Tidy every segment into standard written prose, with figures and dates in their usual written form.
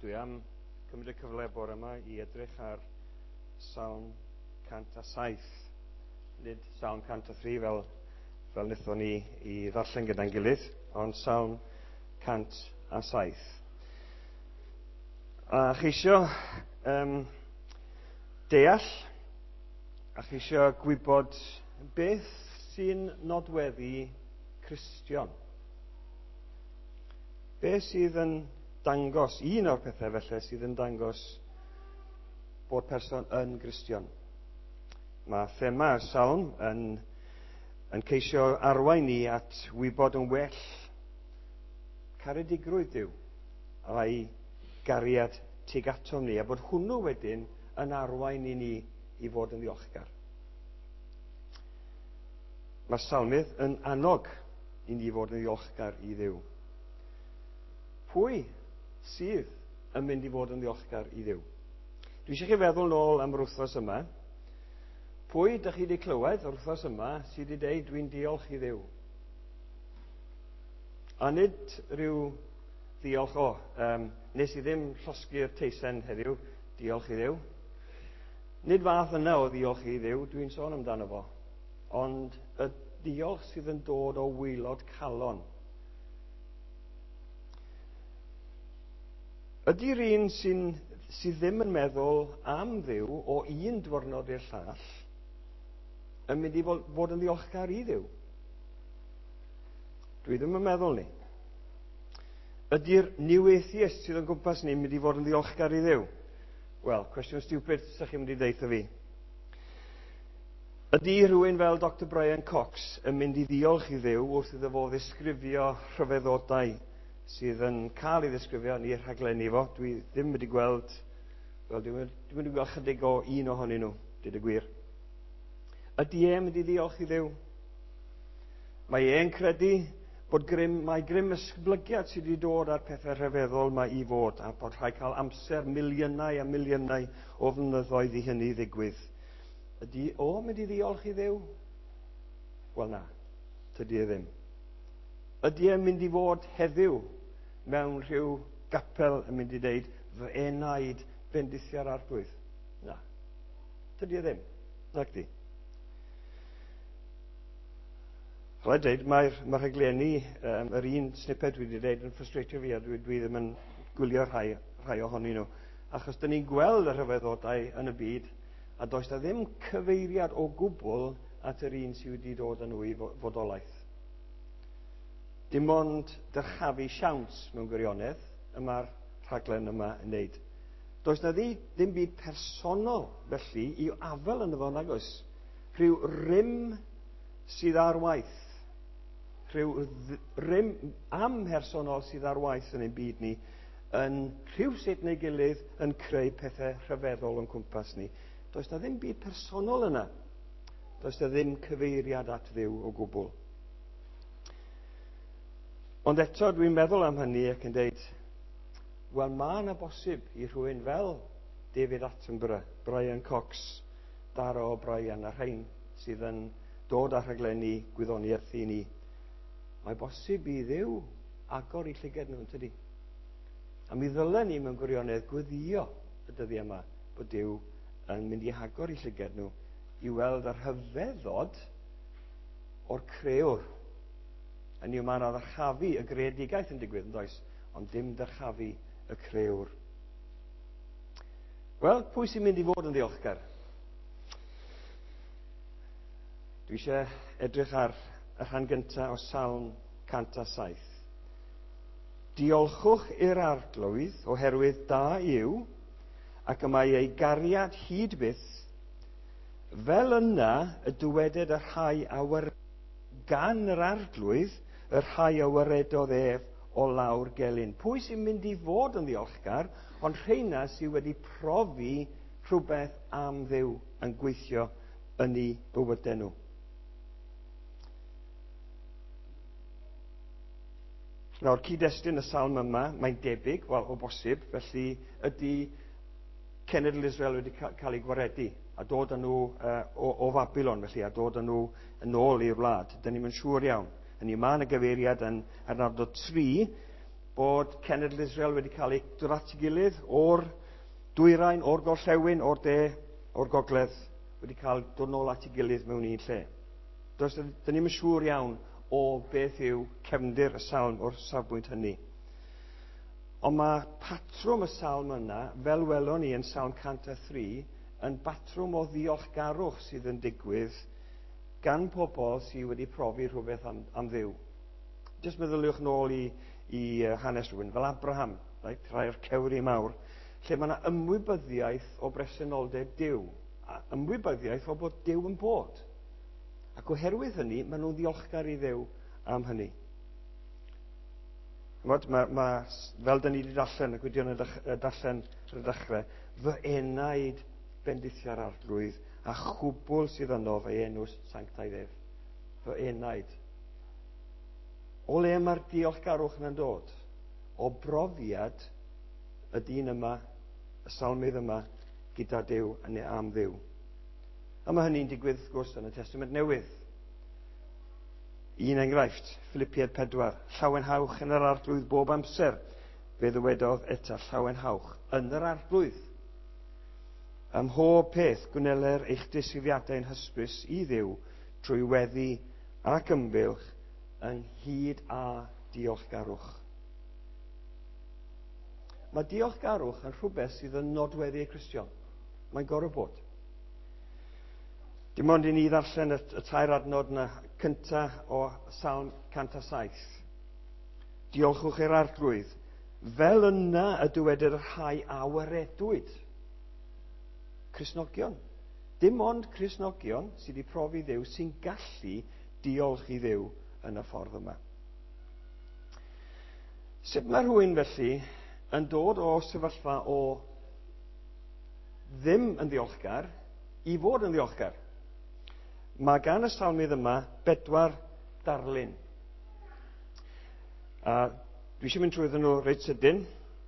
Dwi am cymryd y cyfle bore yma i edrych ar Salm 107. Nid Salm 103 fel wnaethon ni i ddarllen gyda'n gilydd, ond Salm 107. A cheisio deall a cheisio gwybod beth sy'n nodweddu Cristion. Beth sydd yn dangos, un o'r pethau felly sydd yn dangos bod person yn Gristion. Mae thema'r salm yn ceisio arwain ni at wybod yn well caredigrwydd Duw a'i gariad tuag atom ni, a bod hwnnw wedyn yn arwain i ni i fod yn ddiolchgar. Mae'r salmydd yn annog i ni fod yn ddiolchgar i Dduw. Pwy sydd yn mynd i fod yn ddiolchgar i Dduw? Dwi eisiau chi feddwl nôl am yr wythnos yma. Pwy ydych chi wedi clywed yr wythnos yma sydd wedi dweud dwi'n diolch i Dduw? A nid rhyw ddiolch, nes i ddim llosgi'r teisen heddiw, diolch i Dduw. Nid fath yna o ddiolch i Dduw, dwi'n sôn amdano fo. Ond y diolch sydd yn dod o waelod calon. Ydy'r un sydd ddim yn meddwl am Dduw o un diwrnod i'r llall yn mynd i fod yn ddiolchgar i Dduw? Dwi ddim yn meddwl ni. Ydy'r new atheist sydd yn gwmpas ni'n mynd i fod yn ddiolchgar i Dduw? Wel, cwestiwn stupid, sa'ch chi'n mynd i ddeutha fi. Ydy rhywun fel Dr Brian Cox yn mynd i ddiolch i Dduw wrth iddo fo ddisgrifio rhyfeddodau sydd yn cael ei ddisgrifio yn ei rhaglenni fo? Dwi ddim wedi gweld, wel, dwi wedi gweld chydig o un ohonyn nhw, dweud y gwir. Ydy e'n mynd i ddiolch i Dduw? Mae e'n credu bod grym esblygiad sydd wedi dod â'r pethau rhyfeddol mae i fod, a bod rhaid cael amser miliynau a miliynau o flynyddoedd i hynny ddigwydd. Ydy o'n mynd i ddiolch i Dduw? Wel na, tydy e ddim. Ydy e'n mynd i fod heddiw mewn rhyw gapel yn mynd i ddeud fy enaid bendithia'r Arglwydd? Na, tydy e ddim. Nag di. Rhaid dweud, mae'r rhaglenni, yr un snippet dwi wedi dweud yn ffrustratio fi, a dwi ddim yn gwylio rhai ohonyn nhw. Achos dyn ni'n gweld y rhyfeddodau yn y byd, a does na ddim cyfeiriad o gwbl at yr un sydd wedi dod â nhw i fodolaeth. Dim ond dyrchafu siawns mewn gwirionedd y mae'r rhaglen yma yn wneud. Does na ddim byd personol felly i afel ynddo fo, nag oes. Rhyw rym sydd ar waith, rhyw rym amhersonol sydd ar waith yn ein byd ni, yn rhywsut neu gilydd yn creu pethau rhyfeddol o'n cwmpas ni. Does na ddim byd personol yna. Does na ddim cyfeiriad at Dduw o gwbl. Ond eto dwi'n meddwl am hynny ac yn deud, wel, mae yna bosib i rhywun fel David Attenborough, Brian Cox, Dara O'Brien a rhain sydd yn dod â rhaglenni gwyddoniaeth i ni. Mae bosib i Dduw agor i llygad nhw, tydi? A mi ddylen ni mewn gwirionedd gweddio y dyddiau yma bod Duw yn mynd i agor i llygad nhw i weld y rhyfeddod o'r crëwr. Hynny yw, mae yna ddyrchafu y greadigaeth yn digwydd, yn does? Ond dim dyrchafu y crëwr. Wel, pwy sy'n mynd i fod yn ddiolchgar? Dwi eisiau edrych ar y rhan gyntaf o Salm 107. Diolchwch i'r Arglwydd oherwydd da yw, ac y mae ei gariad hyd byth, fel yna y dyweded y rhai a gan yr Arglwydd, y rhai a waredodd ef o lawr gelyn. Pwy sy'n mynd i fod yn ddiolchgar, ond rheina sydd wedi profi rhywbeth am Dduw yn gweithio yn eu bywydau nhw. Nawr, cyd-destun y salm yma, mae'n debyg, wel, o bosib, felly ydy cenedl Israel wedi cael ei gwaredu a dod â nhw o Fabilon, felly, a dod â nhw yn ôl i'r wlad. Dyn ni'm yn siŵr iawn. Hynny, mae yna gyfeiriad yn adnod 3 bod cenedl Israel wedi cael ei dod at ei gilydd o'r dwyrain, o'r gorllewin, o'r de, o'r gogledd, wedi cael dod nôl at ei gilydd mewn un lle. Does, dyn ni'm yn siŵr iawn o beth yw cefndir y salm o'r safbwynt hynny. Ond mae patrwm y salm yna, fel welon ni yn Salm 103, yn batrwm o ddiolchgarwch sydd yn digwydd gan pobl sydd wedi profi rhywbeth am Dduw. Jyst meddyliwch nôl i hanes rhywun fel Abraham, right? Rhai o'r cewri mawr, lle mae yna ymwybyddiaeth o bresenoldeb Duw, a ymwybyddiaeth o bod Duw yn bod. Ac oherwydd hynny, maen nhw'n ddiolchgar i Dduw am hynny. Ch'mod, fel dyn ni wedi darllen, y gwydion yn darllen ar y dechrau, fy enaid bendithia'r Arglwydd a chwbl sydd yno fe enw sanctaidd ef. Fy enaid. O le mae'r diolchgarwch yna'n dod? O brofiad y dyn yma, y salmydd yma, gyda Duw neu am Dduw. A mae hynny'n digwydd, wrth gwrs, yn y Testament Newydd. Un enghraifft, Philippiaid 4, llawenhawch yn yr Arglwydd bob amser. Fe ddywedodd eto, llawenhawch yn yr Arglwydd. Ym mhob peth, gwneler eich disgrifiadau'n hysbys i Dduw trwy weddi ac ymgylch ynghyd â diolchgarwch. Mae diolchgarwch yn rhywbeth sydd yn nodweddu y Cristion. Mae'n gorfod bod. Dim ond i ni ddarllen y tair adnod yna cynta o Salm 107. Diolchwch i'r Arglwydd, fel yna y dywedir y rhai a waredwyd. Cristnogion. Dim ond Cristnogion sydd wedi profi Dduw sy'n gallu diolch i Dduw yn y ffordd yma. Sut mae rhywun felly yn dod o sefyllfa o ddim yn ddiolchgar i fod yn ddiolchgar? Mae gan y salmydd yma 4 darlun. A dwi eisiau mynd trwyddyn nhw reit sydyn.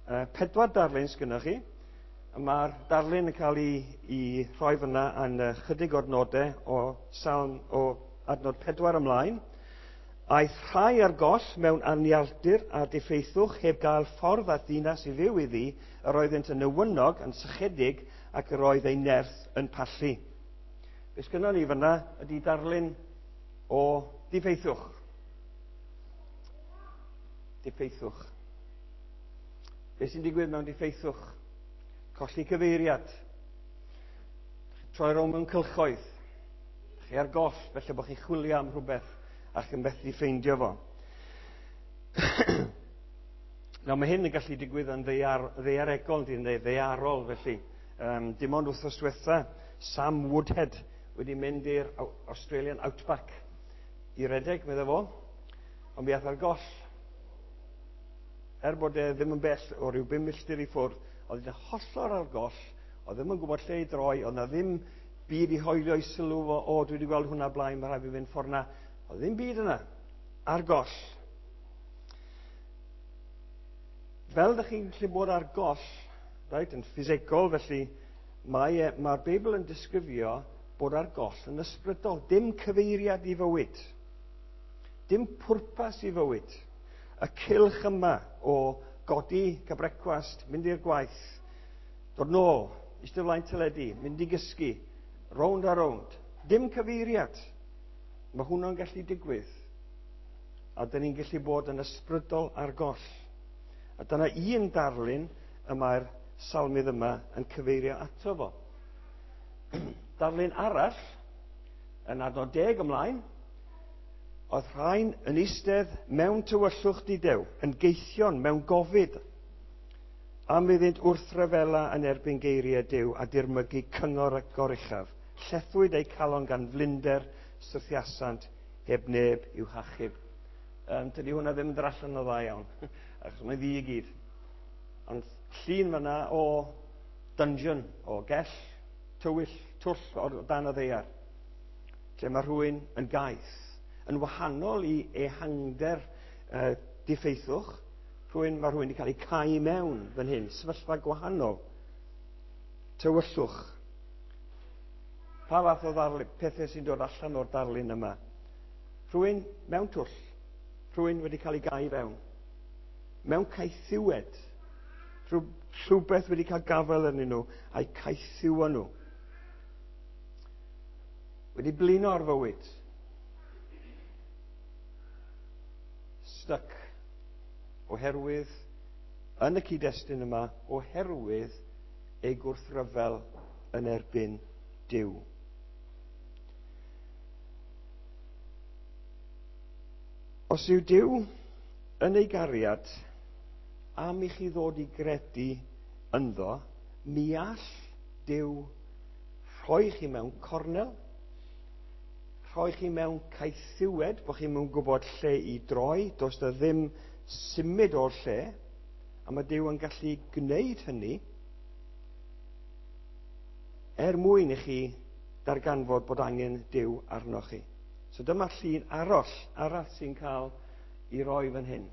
4 darlun sgynnoch chi. Mae'r darlun yn cael ei rhoi fyna yn chydig o'r nodau o salm o adnod 4 ymlaen. Aeth rhai ar goll mewn anialdir a diffeithwch heb gael ffordd at ddinas i fyw iddi, yr oeddynt yn newynog, yn sychedig, ac yr oedd eu nerth yn pallu. Be sgynnon ni fyna ydy darlun o diffeithwch. Diffeithwch. Be sy'n digwydd mewn diffeithwch? Colli cyfeiriad. Troi rownd mewn cylchoedd. Chi ar goll, felly bod chi'n chwilio am rhywbeth ac yn methu ffeindio fo. Nawr, mae hyn yn gallu digwydd yn ddaearegol, neu ddaearol, felly. Dim ond wythnos diwetha, Sam Woodhead wedi mynd i'r Australian Outback i redeg, medde fo, ond mi ath ar goll. Er bod e ddim yn bell o ryw 5 milltir i ffwrdd, oedd e'n hollol ar goll, oedd ddim yn gwybod lle i droi, oedd na ddim byd i hoelio i sylw fo, o, dwi wedi gweld hwnna blaen, mae rhaid fi fynd ffordd na. Oedd ddim byd yna, ar goll. Fel ydych chi'n gallu bod ar goll, right, yn ffisegol, felly mae'r Beibl yn disgrifio bod ar goll yn ysbrydol. Dim cyfeiriad i fywyd. Dim pwrpas i fywyd. Y cylch yma o godi, cael brecwast, mynd i'r gwaith, dod nôl, eistedd o flaen teledu, mynd i gysgu, rownd a rownd. Dim cyfeiriad. Mae hwnna'n gallu digwydd. A dyn ni'n gallu bod yn ysbrydol ar goll. A dyna un darlun y mae'r salmydd yma yn cyfeirio ato fo. Darlun arall, yn adnod 10 ymlaen, oedd rhain yn eistedd mewn tywyllwch dudew, yn geithion mewn gofid, am iddynt wrthryfela yn erbyn geiriau Duw a dirmygu cyngor y goruchaf. Llethwyd eu calon gan flinder, syrthiasant heb neb i'w hachub. Tydi hwnna ddim yn dod allan o dda iawn, achos mae'n ddu i gyd. Ond llun fyna o dungeon, o gell, tywyll, twll o dan y ddaear, lle mae rhywun yn gaeth, yn wahanol i ehangder diffeithwch, mae rhywun wedi cael ei cau mewn fan hyn, sefyllfa gwahanol, tywyllwch. Pa fath o pethau sy'n dod allan o'r darlun yma? Rhywun mewn twll, rhywun wedi cael ei gau fewn. Mewn caethiwed. Rhywbeth wedi cael gafael arnyn nhw a'u caethiwo nhw. Wedi blino ar fywyd. Stuck. Oherwydd, yn y cyd-destun yma, oherwydd ei gwrthryfel yn erbyn Duw. Os yw Duw yn ei gariad am i chi ddod i gredu ynddo, mi all Duw rhoi chi mewn cornel, rhoi chi mewn caethiwed, bod chi'n mewn gwybod lle i droi, does na ddim symud o'r lle, a mae Duw yn gallu gwneud hynny er mwyn i chi darganfod bod angen Duw arnoch chi. So dyma llun arall sy'n cael ei roi fan hyn.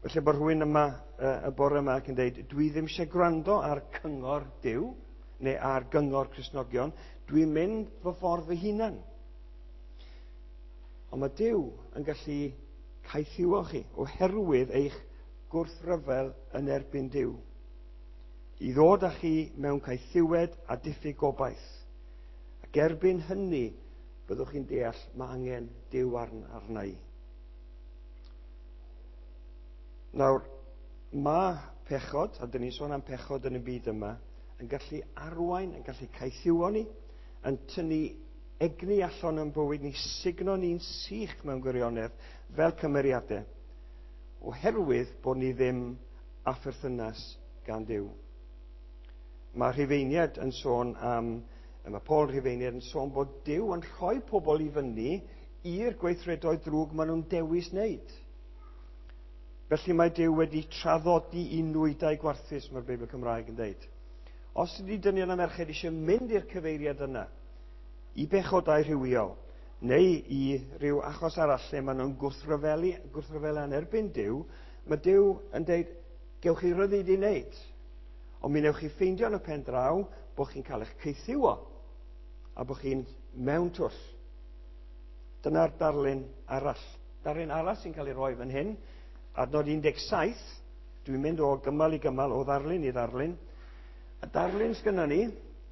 Felly bod rhywun yma y bore yma ac yn dweud, dwi ddim eisiau gwrando ar cyngor Duw neu ar gyngor Cristnogion, dwi'n mynd fy ffordd fy hunan. Ond mae Duw yn gallu caethiwo chi oherwydd eich gwrthryfel yn erbyn Duw. I ddod â chi mewn caethiwed a diffyg gobaith. Ac erbyn hynny, byddwch chi'n deall mae angen Duw arna i. Nawr, mae pechod, a dyn ni'n sôn am pechod yn y byd yma, yn gallu arwain, yn gallu caethiwo ni, yn tynnu egni allan o'n bywyd ni, sugno ni'n sych mewn gwirionedd fel cymeriadau, oherwydd bod ni ddim â pherthynas gan Dduw. Mae Rhufeiniaid yn sôn am, mae Paul Rhufeiniaid yn sôn bod Duw yn rhoi pobl i fyny i'r gweithredoedd drwg maen nhw'n dewis wneud. Felly mae Duw wedi traddodi i nwydau gwarthus, mae'r Beibl Cymraeg yn dweud. Os ydy dynion a merched eisiau mynd i'r cyfeiriad yna, i bechodau rhywiol, neu i ryw achos arall lle maen nhw'n gwrthryfelu yn erbyn Duw, mae Duw yn dweud, gewch chi ryddid i wneud. Ond mi newch chi ffeindio yn y pen draw bod chi'n cael eich caethiwo a bod chi'n mewn twll. Dyna'r darlun arall. Darlun arall sy'n cael ei roi fan hyn, adnod 17, dwi'n mynd o gymal i gymal, o ddarlun i ddarlun. Y darlun sgynnon ni,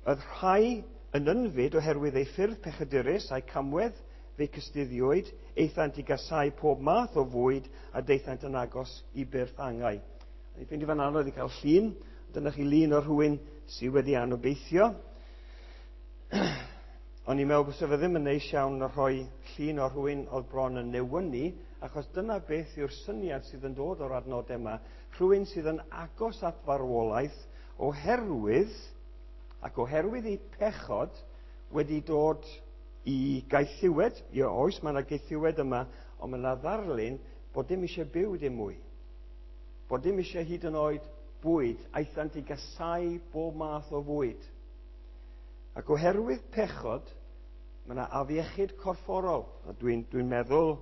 oedd rhai yn ynfyd oherwydd ei ffyrdd pechadurus a'i camwedd fe'i cystuddiwyd, aethant i gasau pob math o fwyd a daethant yn agos i byrth angau. A ni'n ffeindio fan anodd i cael llun, dyna chi lun o rhywun sydd wedi anobeithio. O'n i'n meddwl bod fe ddim yn neis iawn o rhoi llun o rhywun oedd bron yn newynu, achos dyna beth yw'r syniad sydd yn dod o'r adnodau yma. Rhywun sydd yn agos at farwolaeth oherwydd, ac oherwydd ei pechod, wedi dod i gaethiwed. Ie, oes, mae yna gaethiwed yma, ond mae yna ddarlun bod dim eisiau byw dim mwy. Bod dim eisiau hyd yn oed bwyd, aethant i gasau bob math o fwyd. Ac oherwydd pechod, mae yna afiechyd corfforol. A dwi'n meddwl,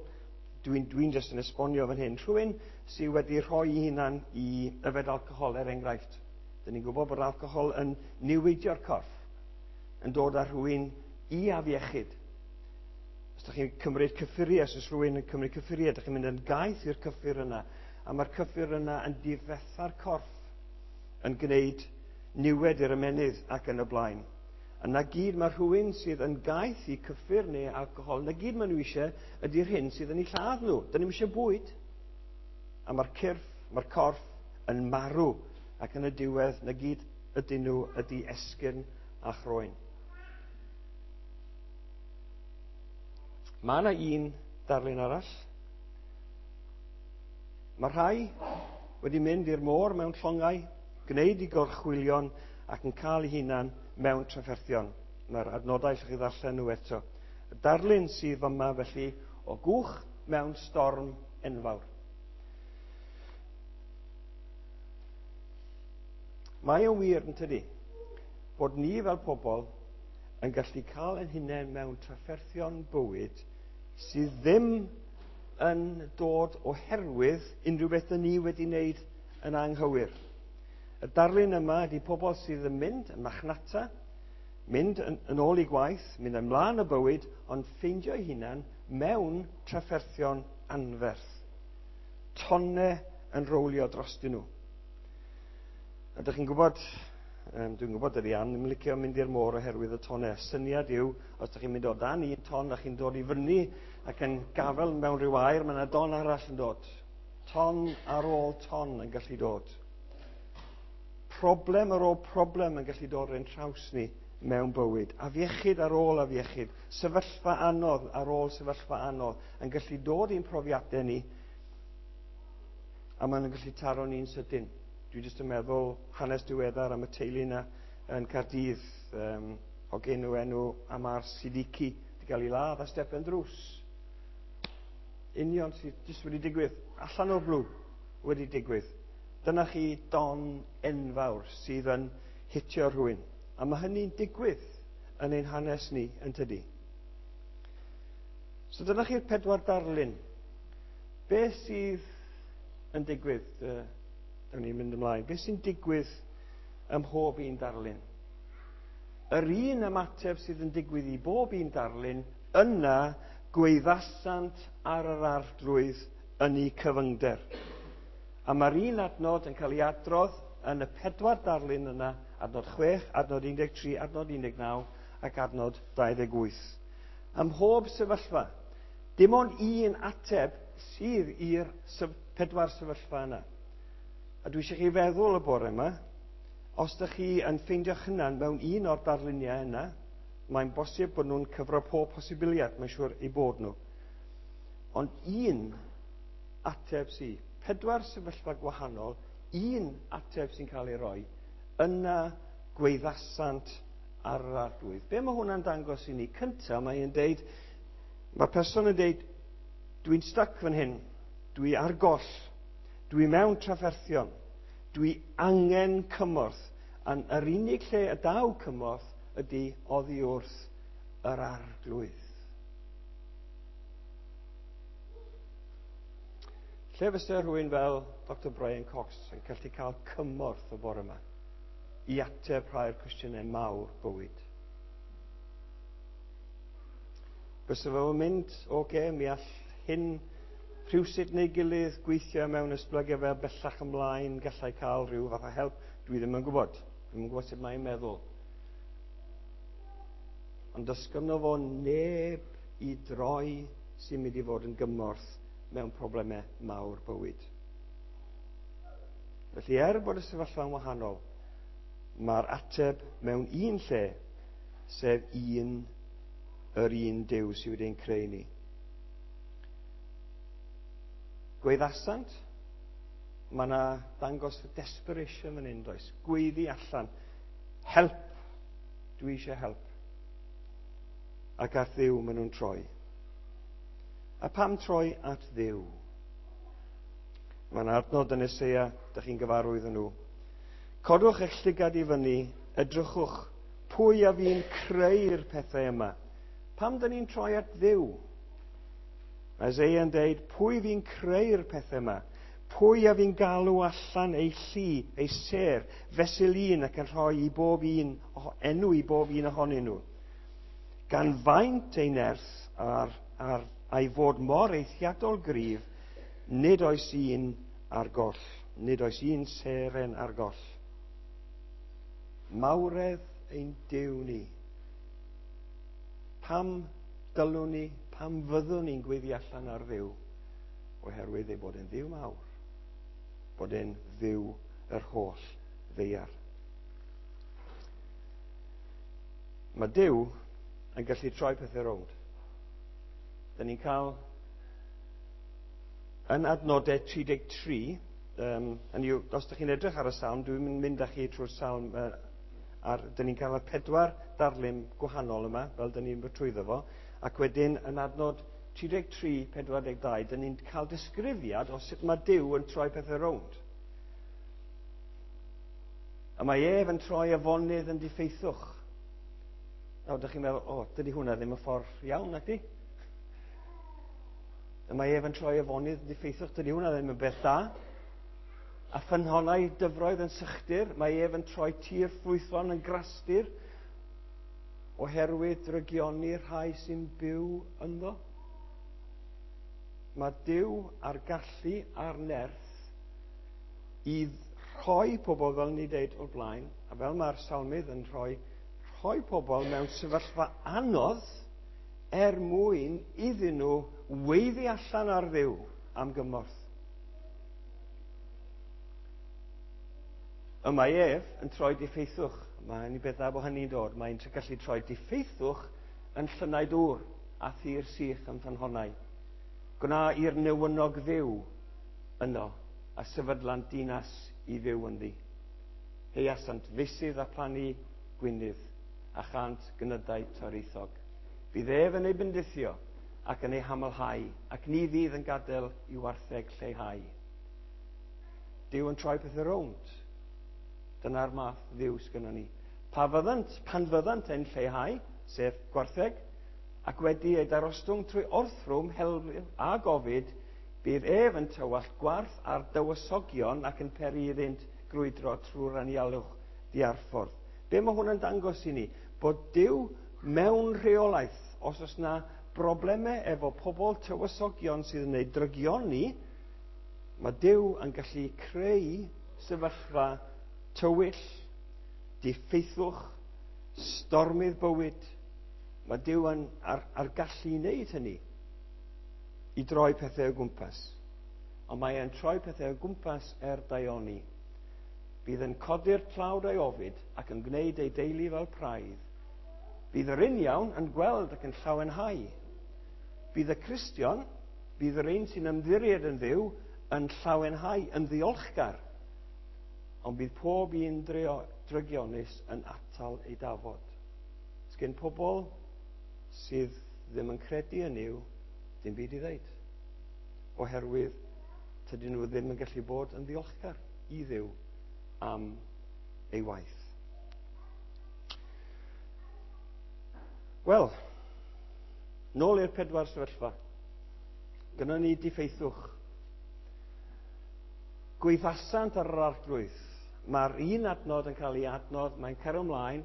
dwi'n jyst yn esbonio fan hyn. Rhywun sydd wedi rhoi ei hunan i yfed alcohol, er enghraifft. Dyn ni'n gwybod bod alcohol yn niweidio'r corff, yn dod â rhywun i afiechyd. Os ydych chi'n cymryd cyffuriau, os oes rhywun yn cymryd cyffuriau, ydych chi'n mynd yn gaeth i'r cyffur yna, a mae'r cyffur yna yn difetha'r corff, yn gwneud niwed i'r ymennydd ac yn y blaen. A na gyd mae rhywun sydd yn gaeth i cyffur neu alcohol, na gyd maen nhw eisiau ydy'r hyn sydd yn eu lladd nhw. Dyn nhw'm eisiau bwyd. A mae'r cyrff, mae'r corff yn marw, ac yn y diwedd, na gyd ydyn nhw ydy esgyrn a chroen. Mae yna un darlun arall. Mae rhai wedi mynd i'r môr mewn llongau, gwneud i gorchwylion ac yn cael eu hunan mewn trafferthion. Mae'r adnodau allwch chi ddarllen nhw eto. Y darlun sydd yma felly o gwch mewn storm enfawr. Mae o'n wir yn tydi bod ni fel pobl yn gallu cael ein hunain mewn trafferthion bywyd sydd ddim yn dod oherwydd unrhyw beth ni wedi wneud yn anghywir. Y darlun yma ydy pobl sydd yn mynd yn machnata, mynd yn ôl i gwaith, mynd ymlaen y bywyd, ond ffeindio eu hunan mewn trafferthion anferth. Tonne yn rowlio drostyn nhw. A dych chi'n gwybod, dwi'n gwybod dydy Ann ddim yn licio mynd i'r môr oherwydd y tonnau. Syniad yw, os ydych chi'n mynd o dan un ton a chi'n dod i fyny ac yn gafel mewn rhyw air, mae yna don arall yn dod. Ton ar ôl ton yn gallu dod. Problem ar ôl problem yn gallu dod rhain traws ni mewn bywyd. Afiechyd ar ôl afiechyd, sefyllfa anodd ar ôl sefyllfa anodd yn gallu dod i'n profiadau ni a maen nhw'n gallu taro ni'n sydyn. Dwi jyst yn meddwl hanes diweddar am y teulu yna yn Caerdydd, o gen nhw enw Amar Siddiqui, wedi cael ei ladd a stepen drws. Union sydd jyst wedi digwydd, allan o'r blw wedi digwydd. Dyna chi don enfawr sydd yn hitio rhywun. A mae hynny'n digwydd yn ein hanes ni, yn tydi. So dyna chi'r pedwar darlun. Beth sydd yn digwydd? Dyna ni'n mynd ymlaen. Beth sy'n digwydd ym mhob un darlun? Yr un ymateb sydd yn digwydd i bob un darlun, yna gweithasant ar yr arglwydd yn eu cyfyngder. A mae'r un adnod yn cael ei adrodd yn y pedwar darlun yna, adnod 6, adnod 13, adnod 19 ac adnod 28. Ym mhob sefyllfa, dim ond un ateb sydd i'r pedwar sefyllfa yna. A dwi eisiau chi feddwl y bore yma, os ydych chi yn ffeindio'ch hunan mewn un o'r darluniau yna, mae'n bosib bod nhw'n cyfro pob posibiliad, mae'n siŵr eu bod nhw. Ond un ateb sydd, pedwar sefyllfa gwahanol, un ateb sy'n cael ei roi, yna gweithasant ar yr arglwydd. Be mae hwnna'n dangos i ni? Cynta, mae'n deud, mae'r person yn deud, dwi'n stuck fan hyn, dwi ar goll, dwi mewn trafferthion, dwi angen cymorth, a yr unig lle y daw cymorth ydy oddi wrth yr arglwydd. Lle fysa rhywun fel Dr Brian Cox yn gallu cael cymorth y bore yma i ateb rhai'r cwestiynau mawr bywyd? Fysa fo'n mynd, oce, mi all hyn rhywsut neu gilydd gweithio mewn esblygiad fel bellach ymlaen, gallai cael rhyw fath o help, dwi ddim yn gwybod. Dwi'm yn gwybod sut mae'n meddwl. Ond does gynno fo neb i droi sy'n mynd i fod yn gymorth mewn problemau mawr bywyd. Felly bod y sefyllfa'n wahanol, mae'r ateb mewn un lle, sef yr un Duw sydd wedi'n creu ni. Gweithasant, mae yna ddangos desperation fan hyn, does? Gweiddi allan, help, dwi eisiau help. Ac at Dduw maen nhw'n troi. A pam troi at Dduw? Mae yna adnod yn Eseia, dych chi'n gyfarwydd yn nhw. Codwch eich llygad i fyny, edrychwch, pwy a fi'n creu'r pethau yma? Pam dyn ni'n troi at Dduw? Mae Eseia yn deud, pwy fi'n creu'r pethau yma? Pwy a fi'n galw allan ei llu, ei sêr, fesul un ac yn rhoi i bob un, enw i bob un ohonyn nhw? Gan faint ei nerth a'i fod mor eithriadol gryf, nid oes un ar goll, nid oes un seren ar goll. Mawredd ein Duw ni. Pam dylwn ni, pam fyddwn ni'n gweiddi allan ar Dduw? Oherwydd ei bod e'n Dduw mawr, bod e'n Dduw yr holl ddaear. Mae Duw yn gallu troi pethau rownd. Dyn ni'n cael yn adnodau 33, os ydych chi'n edrych ar y salm, dwi'n mynd â chi trwy'r salm, dyn ni'n cael y pedwar darlun gwahanol yma, fel dyn ni'n mynd trwyddo fo, ac wedyn yn adnod 33, 42, dyn ni'n cael disgrifiad o sut mae Duw yn troi pethau rownd. A mae ef yn troi afonydd yn diffeithwch. Nawr, dych chi'n meddwl, o, dydy hwnna ddim y ffordd iawn, nag di? A mae ef yn troi afonydd yn diffeithwch, dydy hwnna ddim yn beth da. A ffynhonnau dyfroedd yn sychdir, mae ef yn troi tir ffrwythlon yn grastir, oherwydd drygioni rhai sy'n byw ynddo. Mae Duw a'r gallu a'r nerth I rhoi pobl, fel ni dweud o'r blaen, a fel mae'r salmydd yn rhoi, rhoi pobl mewn sefyllfa anodd er mwyn iddyn nhw weiddi allan ar Dduw am gymorth. Y mae ef yn troi diffeithwch. Mae'n i beth dda bod hynny'n dod. Mae'n gallu troi diffeithwch yn llynnau dŵr a thir sych yn ffynhonnau. Gwna i'r newynog fyw yno a sefydlant dinas i fyw ynddi. Heiasant feysydd a phlannu gwynydd a chant gynydau toreithog. Bydd ef yn ei bendithio ac yn ei hamlhau, ac ni fydd yn gadael i wartheg lleihau. Duw yn troi pethau rownd. Dyna'r math Dduw sgynnon ni. Pa fyddant, pan fyddant yn lleihau, sef gwartheg, ac wedi ei darostwng trwy orthrwm, helfil a gofid, bydd ef yn tywallt gwarth ar dywysogion ac yn peri iddynt grwydro trwy'r anialwch diarffordd. Be mae hwn yn dangos i ni? Bod Duw mewn rheolaeth. Os oes na broblemau efo pobl tywysogion sydd yn ei drygioni, mae Duw yn gallu creu sefyllfa tywyll, diffeithwch, stormydd bywyd. Mae Duw yn ar, ar gallu i wneud hynny, i droi pethau o gwmpas. Ond mae e'n troi pethau o gwmpas er daioni. Bydd yn codi'r tlawd o'i ofid ac yn gwneud ei deulu fel praidd. Bydd yr uniawn yn gweld ac yn llawenhau. Bydd y Cristion, bydd yr un sy'n ymddiried yn Dduw, yn llawenhau, yn ddiolchgar. Ond bydd pob un drygionus yn atal ei dafod. Sgyn pobl sydd ddim yn credu yn Nuw, dim byd i ddeud. Oherwydd tydyn nhw ddim yn gallu bod yn ddiolchgar i Dduw am ei waith. Wel, nôl i'r pedwar sefyllfa. Gynnon ni diffeithwch. Gweithasant ar yr arglwydd. Mae'r un adnod yn cael ei adnodd, mae'n cario ymlaen,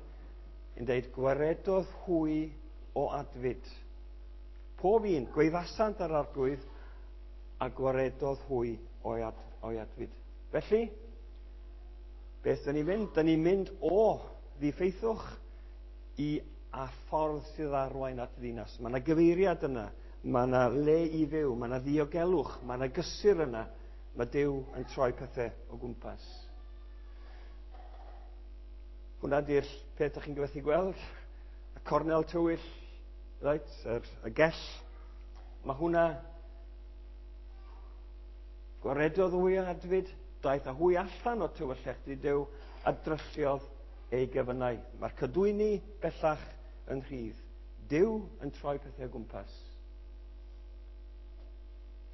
yn dweud gwaredodd hwy o adfyd. Pob un, gweithasant ar arglwydd a gwaredodd hwy o'i, ad, o'i adfyd. Felly, beth dyn ni'n mynd? Dyn ni'n mynd o ddiffeithwch i a ffordd sydd arwain at ddinas. Mae yna gyfeiriad yna, mae yna le i fyw, mae yna ddiogelwch, mae yna gysur yna. Mae Duw yn troi pethau o gwmpas. Hwna di'r peth ydych chi'n gyfethu gweld. Y cornel tywyll, right, yr, y gell. Mae hwnna gwaredodd hwy o adfyd, daeth â hwy allan o tywyllech di Duw a drylliodd ei gefynau. Mae'r cadwyni bellach yn rhydd. Duw yn troi pethau o gwmpas.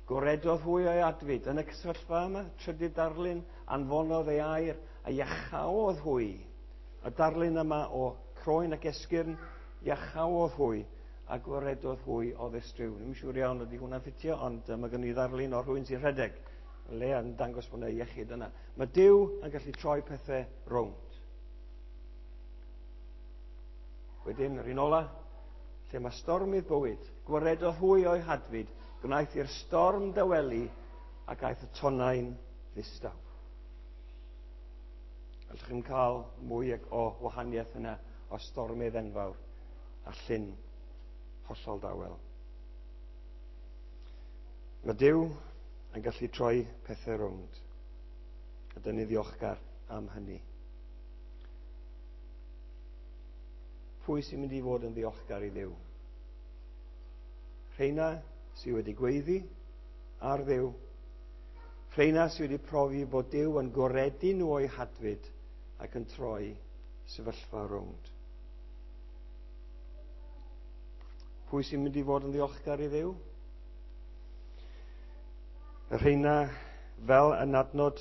Gwaredodd hwy o'i adfyd. Yn y sefyllfa yma, trydydd darlun, anfonodd ei air a iachaodd hwy. Y darlun yma o croen ac esgyrn, iachaodd hwy a gwaredodd hwy o ddistryw. Ddim yn siŵr iawn ydy hwnna'n ffitio, ond mae gen i ddarlun o rhywun sy'n rhedeg. Le yn dangos bod yna iechyd yna. Mae Duw yn gallu troi pethau rownd. Wedyn, yr un ola, lle mae stormydd bywyd, gwaredodd hwy o'i hadfyd, gwnaeth i'r storm dawelu ac aeth y tonnau'n ddistaw. Allwch chi'n cael mwy o wahaniaeth yna o stormydd enfawr a llyn hollol dawel. Mae Duw yn gallu troi pethau rownd. A dyn ni ddiolchgar am hynny. Pwy sy'n mynd i fod yn ddiolchgar i Dduw? Rheina sydd wedi gweiddi ar Dduw. Rheina sydd wedi profi bod Duw yn gwaredu nhw o'i hadfyd ac yn troi sefyllfa rownd. Pwy sy'n mynd i fod yn ddiolchgar i Dduw? Y rheina fel yn adnod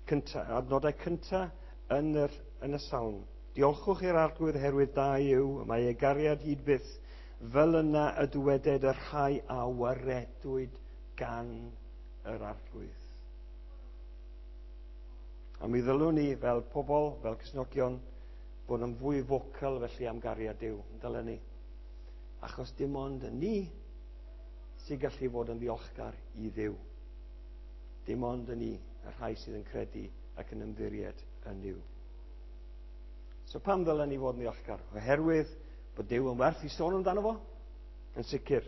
cynta, adnodau cynta yn, yr, yn y salm. Diolchwch i'r Arglwydd oherwydd da yw, mae ei gariad hyd byth, fel yna y dyweded y rhai a waredwyd gan yr Arglwydd. A mi ddylwn ni fel pobl, fel Cristnogion, bod yn fwy vocal felly am gariad Duw, yn dylen ni. Achos dim ond ni sy'n gallu fod yn ddiolchgar i Dduw. Dim ond yn ni. y rhai sydd yn credu ac yn ymddiried yn Nuw. So pam ddylen ni fod yn ddiolchgar? Oherwydd bod Duw yn werth i sôn amdano fo? Yn sicr.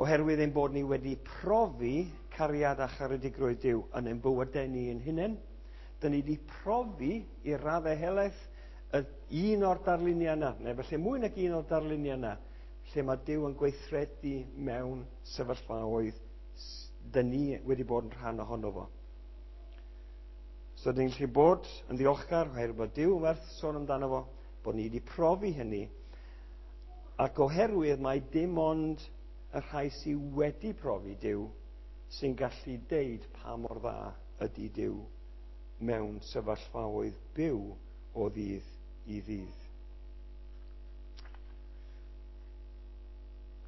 Oherwydd ein bod ni wedi profi cariad a charedigrwydd Duw yn ein bywydau ni ein hunain. Dyn ni wedi profi i raddau helaeth y un o'r darluniau yna, neu felly mwy nag un o'r darluniau yna, lle mae Duw yn gweithredu mewn sefyllfaoedd dyn ni wedi bod yn rhan ohono fo. So dyn ni'n gallu bod yn ddiolchgar oherwydd bod Duw yn werth sôn amdano fo, bod ni wedi profi hynny, ac oherwydd mae dim ond y rhai sydd wedi profi Duw sy'n gallu deud pa mor dda ydy Duw mewn sefyllfaoedd byw o ddydd i ddydd.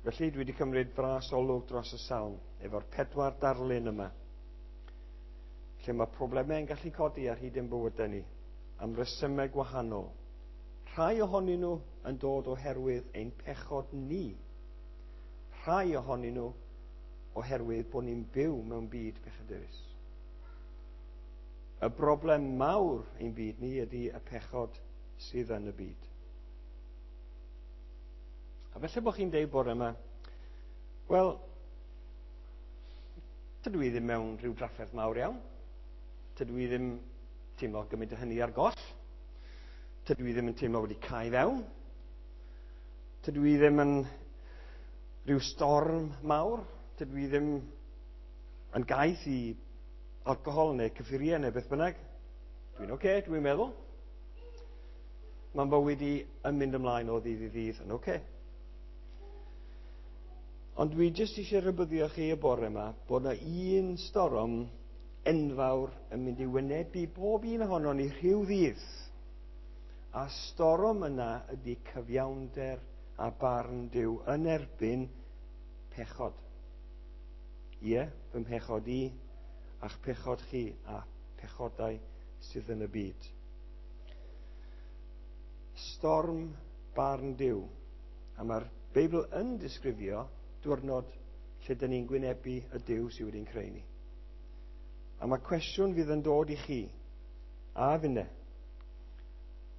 Felly dwi wedi cymryd fras olwg dros y salm efo'r 4 darlun yma, lle mae problemau yn gallu codi ar hyd ein bywydau ni am resymau gwahanol. Rhai ohonyn nhw yn dod oherwydd ein pechod ni. Rhai ohonyn nhw oherwydd bod ni'n byw mewn byd pechadurus. Y broblem mawr ein byd ni ydy y pechod sydd yn y byd. A felly bod chi'n deud bore yma, wel, tydw i ddim mewn rhyw drafferth mawr iawn. Tydw i ddim teimlo gymaint o hynny ar goll. Tydw i ddim yn teimlo wedi cau fewn. Tydw i ddim yn rhyw storm mawr. Tydw i ddim yn gaeth i alcohol neu cyffuriau neu beth bynnag. Dwi'n oce, dwi'n meddwl. Mae'n bywyd i yn mynd ymlaen o ddydd i ddydd yn oce. Ond dwi jyst eisiau rhybuddio chi y bore yma bod yna un storm enfawr yn mynd i wynebu bob un ohonon ni rhyw ddydd. A storm yna ydy cyfiawnder a barn Duw yn erbyn pechod. Ie, fy mhechod i, a'ch pechod chi, a pechodau sydd yn y byd. Storm barn Duw. A mae'r Beibl yn disgrifio diwrnod lle dyn ni'n gwynebu y Duw sydd wedi'n creu ni. A mae cwestiwn fydd yn dod i chi, a finne.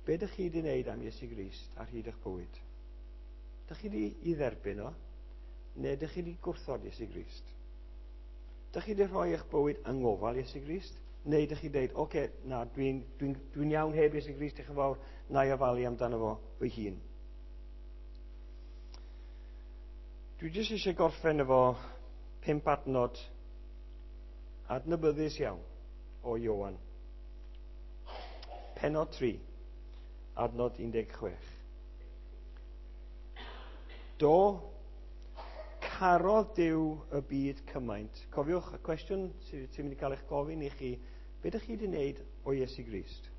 Be dych chi wedi wneud am Iesu Grist ar hyd eich bywyd? Dych chi wedi ei dderbyn o, neu dych chi wedi gwrthod Iesu Grist? Dych chi wedi rhoi eich bywyd yng ngofal Iesu Grist? Neu dych chi dweud, oce, na, dwi'n iawn heb Iesu Grist, diolch yn fawr, na i ofalu amdano fo fy hun. Dwi jyst eisiau gorffen efo 5 adnod adnabyddus iawn o Ioan. Pennod 3, adnod 16. Do, carodd Duw y byd cymaint. Cofiwch y cwestiwn sydd mynd i cael eich gofyn i chi, be ydych chi wedi wneud o Iesu Grist?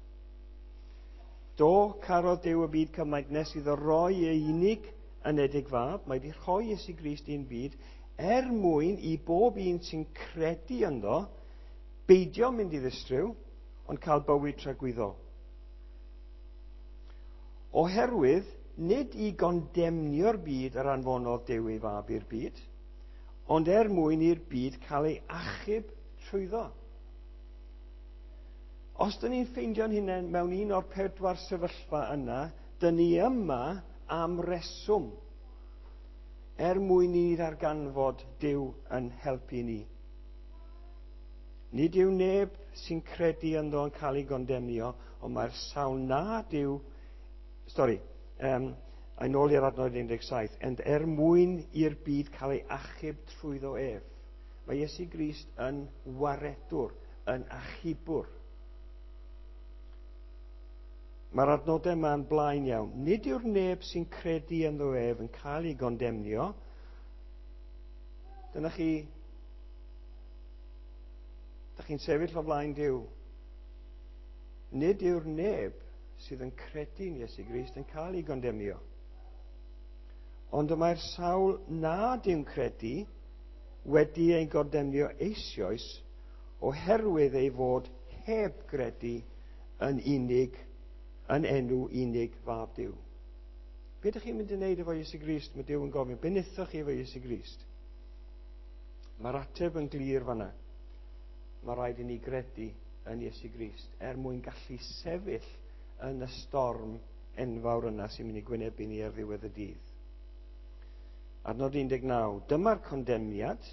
Do, carodd Duw y byd cymaint nes iddo roi ei unig anedig fab, mae wedi rhoi Iesu Grist i'n byd er mwyn i bob un sy'n credu ynddo beidio mynd i ddistryw, ond cael bywyd tragwyddol. Oherwydd, nid i gondemnio'r byd yr anfonodd Duw ei fab i'r byd, ond er mwyn i'r byd cael ei achub trwyddo. Os dyn ni'n ffeindio'n hunain mewn un o'r 4 sefyllfa yna, dyn ni yma am reswm, er mwyn i ni ddarganfod Duw yn helpu ni. Nid yw neb sy'n credu ynddo yn cael ei gondemnio, ond mae'r sawl nad yw... Sori, a nôl i'r adnod 17, ond er mwyn i'r byd cael ei achub trwyddo ef. Mae Iesu Grist yn waredwr, yn achubwr. Mae'r adnodau yma'n blaen iawn. Nid yw'r neb sy'n credu ynddo ef yn cael ei gondemnio. Dyna chi, dych chi'n sefyll o flaen Duw. Nid yw'r neb sydd yn credu yn Iesu Grist yn cael ei gondemnio. Ond y mae'r sawl nad yw'n credu wedi ei gondemnio eisoes oherwydd ei fod heb gredu yn unig, yn enw unig fab Duw. Be ydych chi'n mynd i wneud efo Iesu Grist? Mae Duw yn gofyn, be wnaethoch chi efo Iesu Grist? Mae'r ateb yn glir fanna. Mae rhaid i ni gredu yn Iesu Grist er mwyn gallu sefyll yn y storm enfawr yna sy'n mynd i gwynebu ni ar ddiwedd y dydd. Adnod 19. Dyma'r condemniad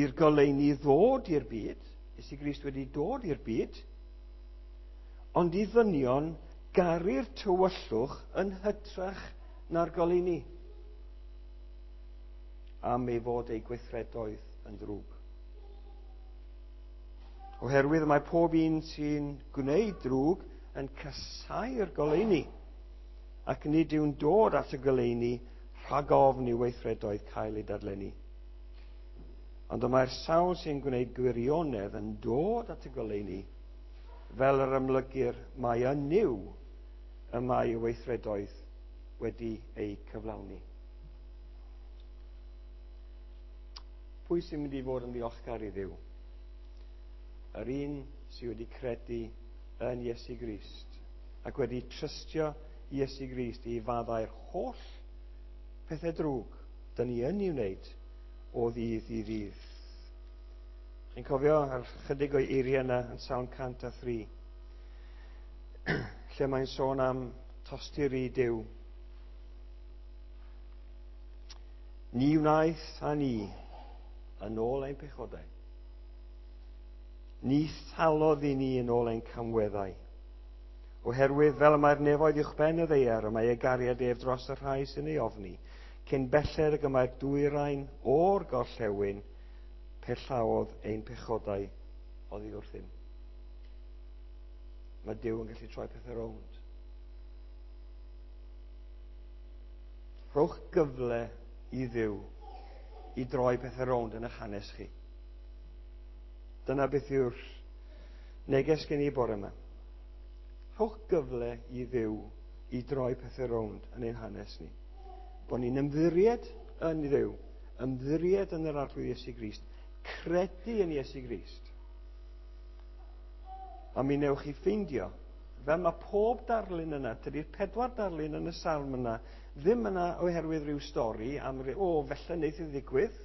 i'r goleuni ddod i'r byd. Iesu Grist wedi dod i'r byd, ond i ddynion garu'r tywyllwch yn hytrach na'r goleuni, am ei fod ei gweithredoedd yn ddrwg. Oherwydd mae pob un sy'n gwneud drwg yn casáu'r goleuni, ac nid yw'n dod at y goleuni rhag ofn i weithredoedd cael ei dadlennu. Ond y mae'r sawl sy'n gwneud gwirionedd yn dod at y goleuni, fel yr amlygir mai yn Nuw y mae ei weithredoedd wedi eu cyflawni. Pwy sy'n mynd i fod yn ddiolchgar i Dduw? Yr un sydd wedi credu yn Iesu Grist ac wedi trystio Iesu Grist i faddau'r holl pethau drwg dyn ni yn ei wneud o ddydd i ddydd. Chi'n cofio ar chydig o'i eiriau yna yn Salm 103, lle mae'n sôn am tosturi Duw. Ni wnaeth a ni yn ôl ein pechodau. Ni thalodd i ni yn ôl ein camweddau. Oherwydd fel y mae'r nefoedd uwchben y ddaear, y mae ei gariad ef dros y rhai sy'n ei ofni, cyn belled ag y mae'r dwyrain o'r gorllewin, pellaodd ein pechodau oddi wrthym. Mae Duw yn gallu troi pethau rownd. Rhowch gyfle i Dduw i droi pethau rownd yn eich hanes chi. Dyna beth yw'r neges gen i bore yma. Rhowch gyfle i Dduw i droi pethau rownd yn ein hanes ni. Bod ni'n ymddiried yn Dduw, ymddiried yn yr Arglwydd Iesu Grist, credu yn Iesu Grist. A mi newch chi ffeindio, fel mae pob darlun yna, tydi'r 4 darlun yn y salm yna, ddim yna oherwydd rhyw stori am ryw, o, felly wneith i ddigwydd.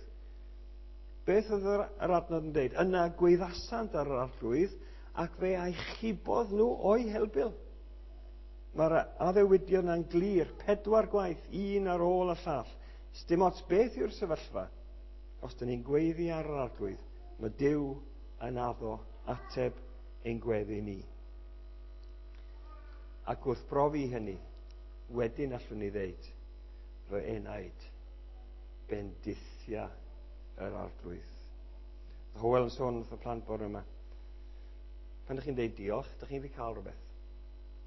Beth oedd yr adnod yn dweud? Yna gweithasant ar yr Arglwydd ac fe achubodd nhw o'i helbul. Mae'r addewidion yna'n glir, 4 gwaith, un ar ôl y llall. Sdim ots beth yw'r sefyllfa. Os dyn ni'n gweiddi ar yr Arglwydd, mae Duw yn addo ateb ein gweddi ni. Ac wrth brofi hynny, wedyn allwn ni ddeud, fy enaid, bendithia yr Arglwydd. Hywel yn sôn wrth y plant bore yma. Pan ydych chi'n deud diolch, ydych chi'n wedi cael rhywbeth.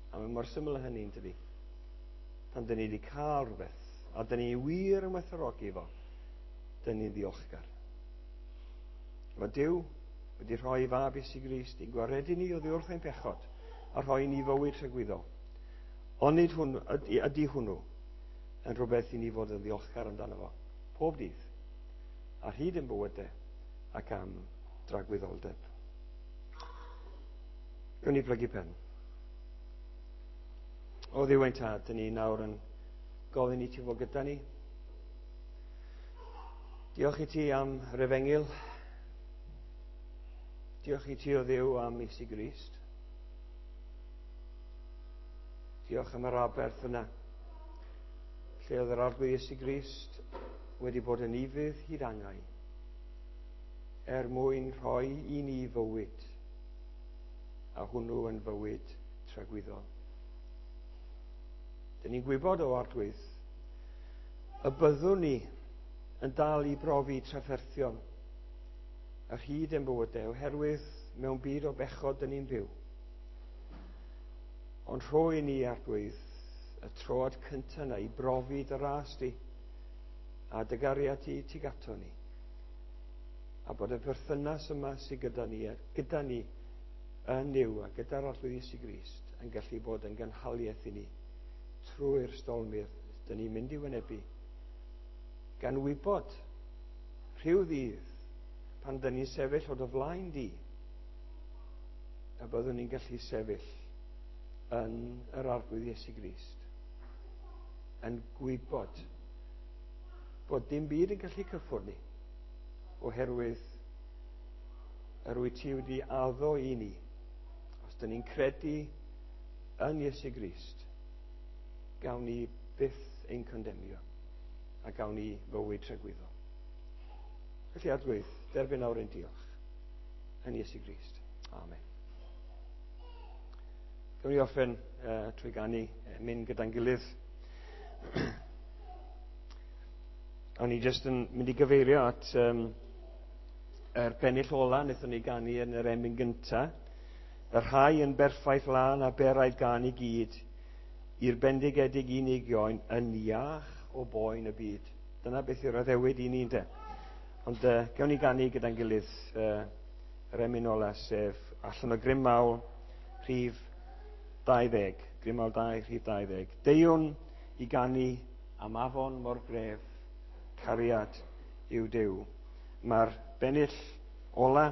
A mae mor syml â hynny, yn dydi? Pan dyn ni wedi cael rhywbeth, a dyn ni wir yn werthfawrogi fo, dyn ni'n ddiolchgar. Mae Duw wedi rhoi ei fab Iesu Grist i gwaredu ni oddi wrth ein pechod a rhoi ni fywyd tragwyddol. Onid hwn, ydy hwnnw yn rhywbeth i ni fod yn ddiolchgar amdano fo, pob dydd, ar hyd ein bywydau ac am dragwyddoldeb. Gawn ni blygu pen. O Dduw ein Tad, dyn ni nawr yn gofyn i ti fod gyda ni. Diolch i ti am yr efengyl. Diolch i ti o Dduw am Iesu Grist. Diolch am yr aberth yna, lle oedd yr Arglwydd Iesu Grist wedi bod yn ufudd hyd angau, er mwyn rhoi i ni fywyd, a hwnnw yn fywyd tragwyddol. Dyn ni'n gwybod o Arglwydd y byddwn ni yn dal i brofi trafferthion ar hyd ein bywydau, oherwydd mewn byd o bechod dyn ni'n byw. Ond rhoi ni, Arglwydd, y troad cyntaf yna i brofi dy ras di a dy gariad ti tuag ato ni. A bod y perthynas yma sydd gyda ni yn Nuw a gyda'r Arglwydd Iesu Grist yn gallu bod yn gynhaliaeth i ni trwy'r stormydd dyn ni'n mynd i wynebu, gan wybod rhyw ddydd pan dyn ni'n sefyll o dy flaen di, a byddwn ni'n gallu sefyll yn yr Arglwydd Iesu Grist, yn gwybod bod dim byd yn gallu cyffwrdd ni, oherwydd Yr wyt ti wedi addo i ni. Os dyn ni'n credu yn Iesu Grist, gawn ni byth ein condemnio a gawn ni fywyd tragwyddol. Felly, Arglwydd, derbyn nawr ein diolch yn Iesu Grist. Amen. Gawn ni orffen trwy ganu mynd gyda'n gilydd. O'n i jyst yn mynd i gyfeirio at yr pennill ola wnaethon ni ganu yn yr emyn gynta. Y rhai yn berffaith lân a beraidd gan i gyd, i'r bendigedig unig ioen yn iach o boen y byd. Dyna beth yw'r addewid i ni, ynde? Ond gawn ni ganu gyda'n gilydd yr emyn ola, sef allan o Grym Mawl, rhif 20. Grym Mawl 2, rhif 20. Deuwn i ganu am afon mor gref, cariad yw Duw. Mae'r bennill ola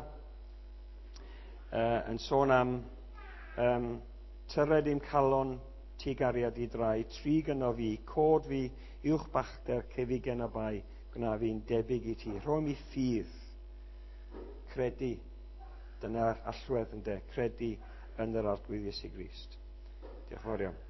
yn sôn am tyred i'm calon ti gariad i drai, trig yno fi, cod fi, uwch bachder, cefigen a bai, gwna fi'n debyg i ti. Rhoi mi ffydd, credu, dyna'r allwedd ynde, credu yn yr Arglwydd Iesu Grist. Diolch yn fawr iawn.